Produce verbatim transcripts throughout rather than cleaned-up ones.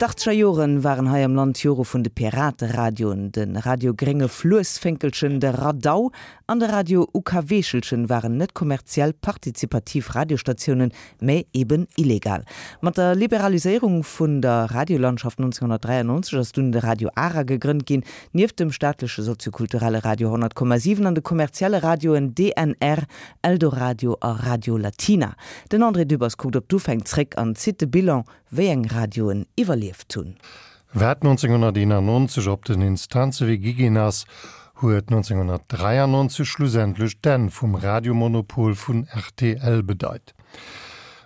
D'Achtzeger Joren waren hei am Land d'Jore vun de Pirateradioen. De Radio Grénge Fluessfénkelchen, de Radau an de Radio UKWeechelchen waren net kommerziell partizipativ Radiostatiounen, mä eben illegal. Mat der Liberaliséierung vun der Radiolandschaft nonzénhonnertdräiannonzeg ass dunn de Radio Ara gegrënnt ginn, nieft dem staatleche soziokulturelle Radio honnert Komma siwen an de kommerzielle Radioen D N R, Eldoradio a Radio Latina. Den André Dübbers kuckt op d'Ufäng zréck an zitt de Bilan, wéi eng Radioen iwwerlieft hunn. Wat nonzénhonnerteenannonzeg op den Instanzewee gi ginn ass, huet nonzénhonnertdräiannonzeg schlussendlech d'Enn vum Radiomonopol vun R T L bedeit.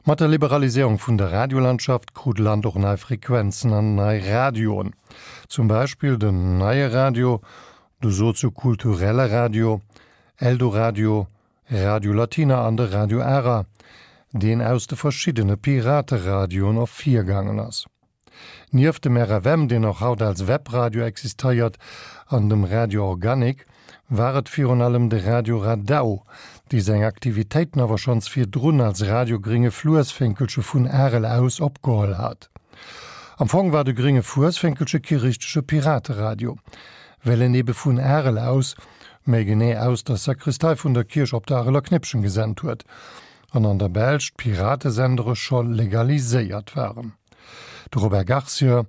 Mat der Liberaliséierung vun der Radiolandschaft krut d'Land och nei Frequenzen an nei Radioen. Zum Beispill den Neie Radio, de soziokulturelle Radio, Eldoradio, Radio Latina an de Radio Ara, deen aus de verschiddene Pirateradioen ervirgaangen ass. Nieft dem R F M, deen och haut als Webradio existéiert, an dem Radio Organic, war et virun allem de Radio Radau, dee seng Aktivitéiten awer schonns virdrun als Radio Gringe Fluessfénkelche vun Arel aus opgeholl hat. Am Fong war de Gringe Fuesfénkelche kee richtege Pirateradio, well en ebe vun Arel aus, méi genee aus der Sakristei vun der Kierch op der Areler Knippchen gesent huet, an an der Belsch d'Piratesendere scho legaliséiert waren. De Robert Garcia,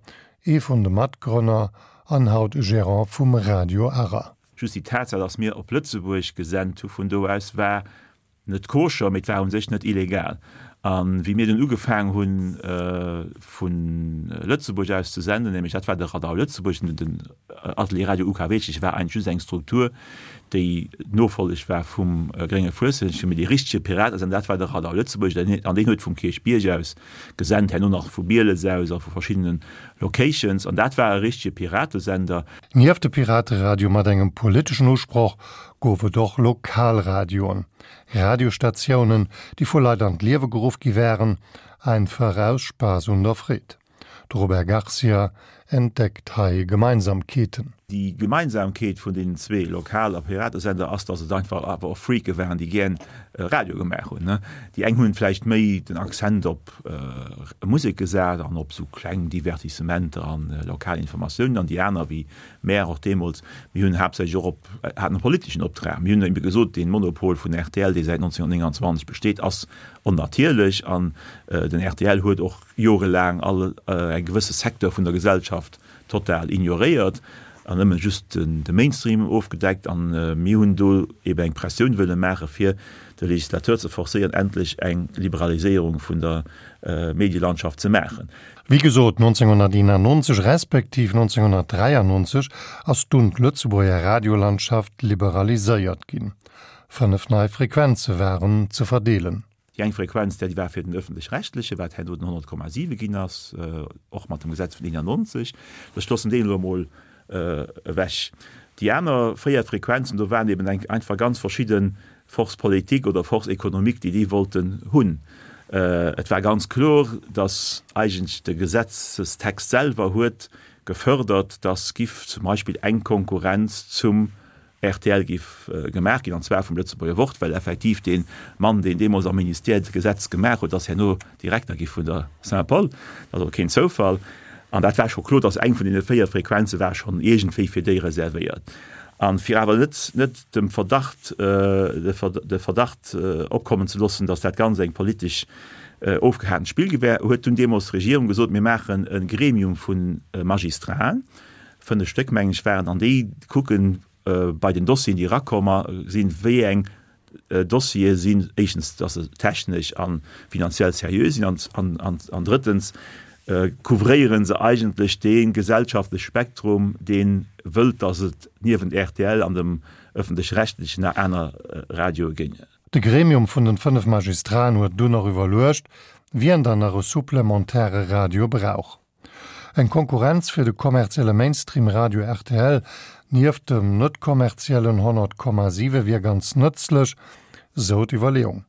ee vun de Matgrënner an haut Gerant vum Radio Ara. Just déi Tatsaach, dass mir op Lëtzebuerg gesent hu vun do aus, war net koscher, mee et war u sech net illegal. A wéi mir dunn ugefaangen hunn, vu Lëtzebuerg aus ze senden, nämlech dat war de Radau Lëtzebuerg, den Atelier Radio U K W, war eigentlech just eng Struktur, déi d'Nofolleg war vum Grénge Fuesselchen, mee dee richtege Piratesender, dat war de Radau Lëtzebuerg, an deen huet vum Kierchbierg aus gesent, herno nach vu Bieles aus a vu verschiddene Locations, an dat war e richtege Piratesender. Nieft de Pirateradioe mat engem politeschen Usproch gouf et och Lokalradioen, Radiostatiounen, déi vu Leit an d'Liewe geruff gi wären, einfach aus Spaass un der Freed. De Robert Garcia entdeckt hei Gemeinsamkeeten. Déi Gemeinsamkeet vun deenen zwee Lokal a Piratesender ass, dass et einfach awer och Freake waren, déi gären Radio gemaach hunn. Déi eng hunn vläicht méi den Accent op Musek gesat an op sou kleng Divertissementer an lokal Informatiounen, an déi aner, wéi mär och deemools, mir hunn haaptsächlech och op, haten e politeschen Optrag. Mir hunn ebe gesot, dee Monopol vun R T L, dee säit nonzénhonnertnénganzwanzeg besteet, ass onnatierlech an den R T L huet och jorelaang all e gewësse Secteur vun der Gesellschaft total ignoréiert an nëmmen just de Mainstream ofgedeckt, an mir hunn do eben eng Pressioun wëlle maache fir de Legislateur ze forcéieren, endlech eng Liberaliséierung vun der Medielandschaft ze maachen. Wéi gesot, nonzénhonnerteenannonzeg respektiv nonzénhonnertdräiannonzeg ass dunn d'Lëtzebuerger Radiolandschaft liberaliséiert ginn. Fënnef nei Frequenze waren ze verdeelen. Déi eng Frequenz, déi war fir den Ëffentlech-Rechtlechen, wat herno den honnert Komma siwe ginn ass, och mat dem Gesetz vun eenannonzeg. Ech loossen deen elo emol ewech. Déi aner véier Frequenzen, do waren eben eng einfach ganz verschidde Forces politiques oder Forces économiques, déi déi wollten hunn. Et war ganz kloer, datt eigentlech de Gesetzestext selwer huet gefördert, datt giff zum Beispill eng Konkurrenz zum R T L giff gemaach ginn, an zwar vum Lëtzebuerger Wort, well effektiv dee Mann, deen deemools am Ministère d'Gesetz gemaach huet, ass herno Direkter gi vun der Saint-Paul. Dat ass och keen Zoufall. An dat war scho kloer, datt eng vun deene véier Frequenze war schonn iergendwéi fir déi reservéiert. A fir awer net, net dem Verdacht, de Verdacht opkommen ze loossen, datt dat Ganzt eng politesch ofgehatent Spill gi wär, huet dunn deemools d'Regierung gesot, mir maachen e Gremium vu Magistraten, fënnef Stéck mengen ech waren, an déi kucken bei den Dossieren, déi erakomm sinn, wéi eng Dossiere sinn, éischtens, datt se technesch a finanziell seriö sinn, an drëttens, couvréiere se eigentlech dee gesellschaftleche Spektrum, dee wëllt, datt et niewent R T L an dem Ëffentlech-Rechtlechen nach aner Radioe ginn. De Gremium vun den fënnef Magistraten huet dunn och iwwerluecht, wien dann nach e supplementäre Radio brauch. Eng Konkurrenz fir de kommerzielle Mainstream-Radio R T L nieft dem net kommerziellen honnert Komma siwe wier ganz nëtzlech, sou d'Iwwerleeung.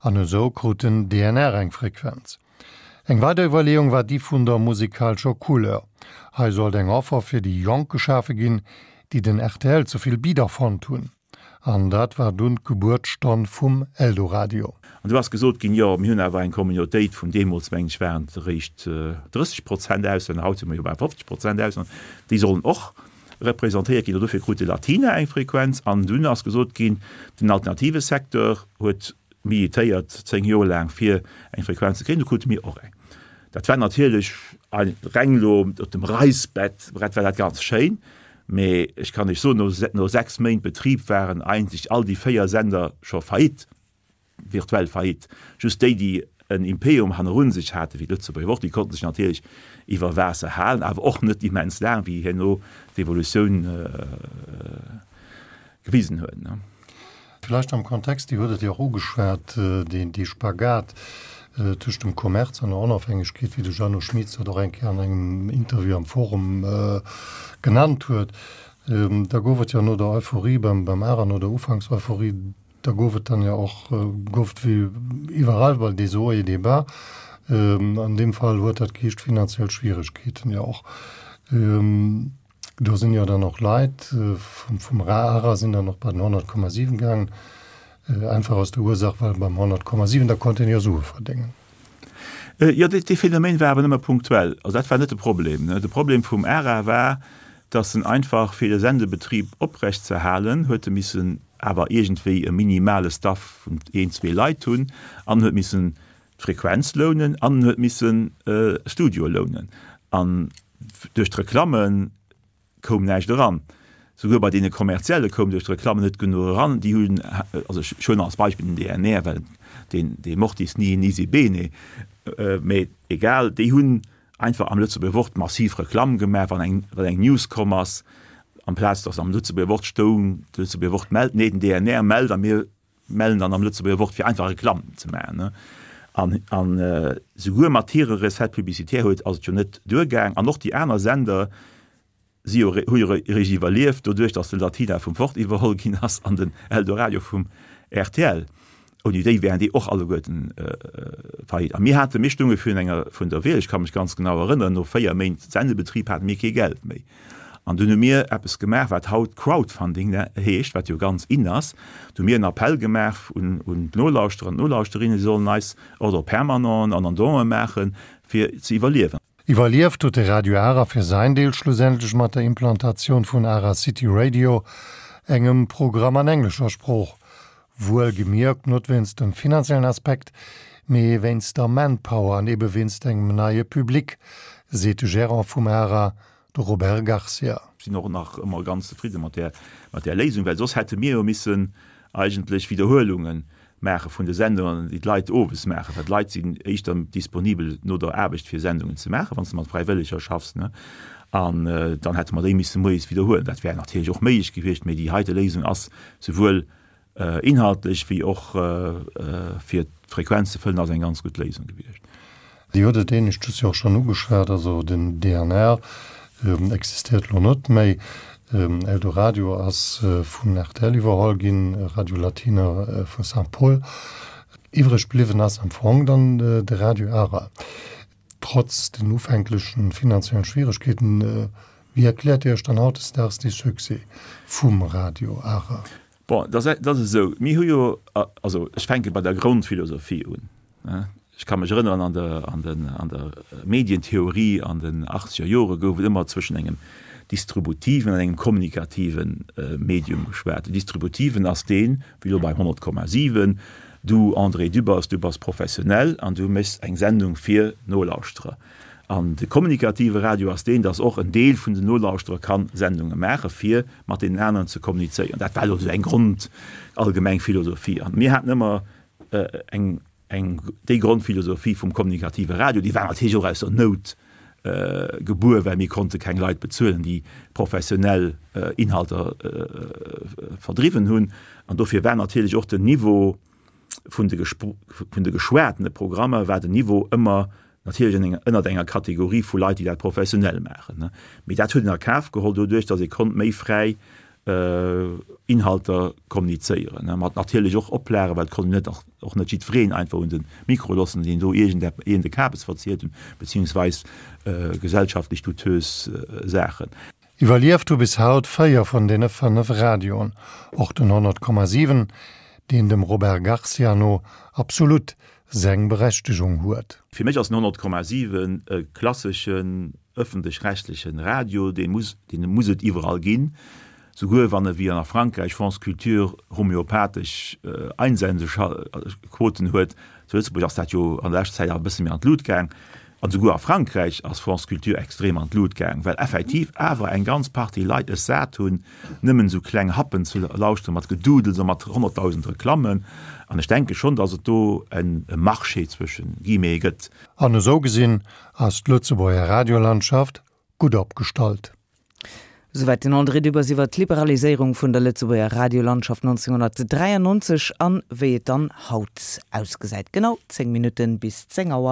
An esou krut den D N R eng Frequenz. Eng weider Iwwerleeung war déi vun der musikalescher Couleur. Hei sollt eng Offer fir déi Jonk geschafe ginn, déi den R T L ze vill bidder fonnt hunn. An dat war dunn d'Gebuertsstonn vum Eldoradio. An du ass gesot ginn, jo, mir hunn awer eng Communautéit vun deemools, mengen ech, waren et eréischt drësseg Prozent Auslänner, haut si mer jo bei fofzeg Prozent Auslänner, déi sollen och representéiert ginn. An dofir krut de Latina eng Frequenz. An dunn ass gesot ginn, den alternative Secteur huet militéiert zéng Joer laang, fir eng Frequenz ze kréien, du krute mir och eng. Dat war natierlech reng elo op dem Reissbrett war dat ganz schéin, mee ech kann Iech soen, no sechs Méint Betrib waren eigentlech all déi véier Sender scho faillite, virtuell faillite. Just déi, déi en Imperium hannerun sech haten, wéi d'Lëtzebuerger Wort, déi konnten sech natierlech iwwer Waasser halen, awer och net immens laang, wéi herno d'Evolutioun gewisen huet. Vläicht am Kontext, Dir hutt et jo och ugeschwat, dee Spagat tëscht dem Kommerz an der Onofhängegkeet, wéi de Jeannot Schmitz dat och eng Kéier an engem Interview am Forum genannt huet. Da gouf et jo no der Euphorie beim ARA, no der Ufankseuphorie, da gouf et dann jo och, gouf et wéi iwwerall bal des hauts et des bas. An deem Fall huet dat geheescht finanziell Schwieregkeeten jo och. Do sinn jo dann och Leit vum ARA sinn dann och bei den honnert Komma siwen gaangen, einfach aus der Ursaach, well beim honnert Komma siwen, da konnt een jo Sue verdéngen. Jo, dee Phänomen war awer nëmme punktuell. Also dat war net de Problem. De Problem vum ARA war, datt en einfach, fir de Sendebetrib oprechtzeerhalen, huet e missen awer iergendwéi e minimale Staff vun een, zwee Leit hunn an huet missen d'Frequenz lounen an huet missen Studioe lounen. An duerch d'Reklamme koum näischt eran. Souguer bei deene kommerzielle koum duerch d'Reklammen net genuch eran. Déi hunn, also ech huelen als Beispill den D N R, well deen dee mortis ni nisi bene, mee egal, déi hunn einfach am Lëtzebuerger Wort massiv Reklamm gemaach, wann eng wann eng News komm ass, amplaz datt am Lëtzebuerger Wort stoung, de Lëtzebuerger Wort mellt, nee den D N R mellt a mir mellen dann am Lëtzebuerger Wort, fir einfach Reklamm ze maachen. An an souguer mat hire Recettes publicitaires huet ass et jo net duergaang. An och déi aner Sender si jo hu jo eréischt iwwerlieft doduerch, datt de Latina vum Wort iwwerholl ginn ass an den Eldoradio vum R T L. Ouni déi wären déi och alleguerten faillite. A mir hate mir stounge virun enger vun der Wiel, ech ka mech ganz genau erënneren, no véier Méint Sendebetrib hate mir kee Geld méi. An dunn hu mir eppes gemaach, wat haut Crowdfunding heescht, wat jo ganz in ass. Du hu mir en Appell gemaach un un d'Nolauschterer an d'Nolauschterinnen, si sollen eis Ordre permanenten an an Donen maachen, fir ze iwwerliewen. Iwwerlieft huet de Radio Ara fir säin Deel schlussendlech mat der Implantatioun vun Ara City Radio, engem Programm an englescher Sprooch. Wuel gemierkt net wéinst dem finanziellen Aspekt, mee wéinst der Manpower an ebe wéinst engem neie Public, seet de Gerant vum Ara, de Robert Garcia. Sinn och nach ëmmer ganz zefridde mat där mat där Léisung, well soss hätte mir jo missen eigentlech Widderhuelunge maache vun de Sendungen, déi d'Leit owes maachen, well d'Leit sinn éischter disponibel no der Aarbecht fir Sendungen ze maachen, wann s de mat Fräiwëlleger schaffs, ne. An dann hätte mer déi misse moies widderhuelen. Dat wär natierlech och méiglech gewiescht, mee déi heite Léisung ass souwuel inhaltlech wéi och fir d'Frequenz ze fëllen ass eng ganz gutt Léisung gewiescht. Dir hutt et éineschtens jo och schonn ugeschwat, also den D N R existéiert elo net méi. Eldoradio ass vun R T L iwwerholl ginn, Radio Latina vu Saint-Paul. Iwwreg bliwwen ass am Fong dann de Radio Ara. Trotz den ufänklechen finanziellen Schwieregkeeten, wéi erkläert Dir Iech dann hautdesdaags dee Succès vum Radio Ara? Bon, dat ass esou, mir hu jo, also ech fänke bei der Grondphilosophie un. Ech ka mech erënneren, an der, an den, an der Medientheorie an den achtzeger Jore gouf et ëmmer zwëschen engem distributiven an engem kommunikative Medium geschwat. Den distributiven ass deen, wéi elo bei honnert Komma siwen, du André Dübbers, du bass professionell an du méchs eng Sendung fir Nolauschterer. An de kommunikative Radio ass deen, dass och en Deel vun den Nolauschterer ka Sendunge maache fir mat deenen aneren ze kommunizéieren. Dat war elo esou eng Grond, allgemeng Philosophie. An mir haten ëmmer eng, eng, déi Grondphilosophie vum kommunikative Radio, déi war natierlech och aus der Nout gebuer, well mir konnte keng Leit bezuelen, déi professionell Inhalter verdriwwen hunn. An dofir war natierlech och den Niveau vun de vun de geschwatene Programmer war den Niveau ëmmer natierlech ënnert enger Kategorie vu Leit, déi dat professionell maachen. Mee dat huet een a Kaf geholl doduerch, datt ee konnt méi fräi Inhalter kommunizéieren, mat natierlech och Oplagen, well et konnt een net och net jiddwereen einfach un de Mikro loossen, deen do iergend iergende Kabes verzielt hunn, beziehungsweis gesellschaftlech douteuse Saachen. Iwwerlieft hu bis haut véier vun deene fënnef Radioen, och den honnert Komma siwen, deen dem Robert Garcia no absolut seng Berechtegung huet. Fir mech ass den honnert Komma siwen e klasseschen ëffentlech-rechtlechen Radio, dee muss, dee muss et iwwerall ginn, souguer wann e wéi an a Frankräich France Culture homeopathesch Einsendequoten huet. Zu Lëtzebuerg ass dat jo an der leschter Zäit awer e bësse méi an d'Lut gaang. An souguer a Frankräich ass France Culture extrem an d'Lut gaang, well effektiv awer eng ganz Partie Leit es sat hunn, nëmmen esou kleng Happen ze lauschteren, mat Gedudels a mat honnertdausend Reklammen. An ech denke schonn, datt et do e Marché zwëschen guillemets gëtt. An esou gesinn ass d'Lëtzebuerger Radiolandschaft gutt opgestallt. Souwäit den André Dübbers iwwer d'Liberaliséierung vun der Lëtzebuerger Radiolandschaft neunzehnhundertdräiundneunzeg an wéi et dann haut ausgesäit. Genau zéng Minutten bis zéng Auer.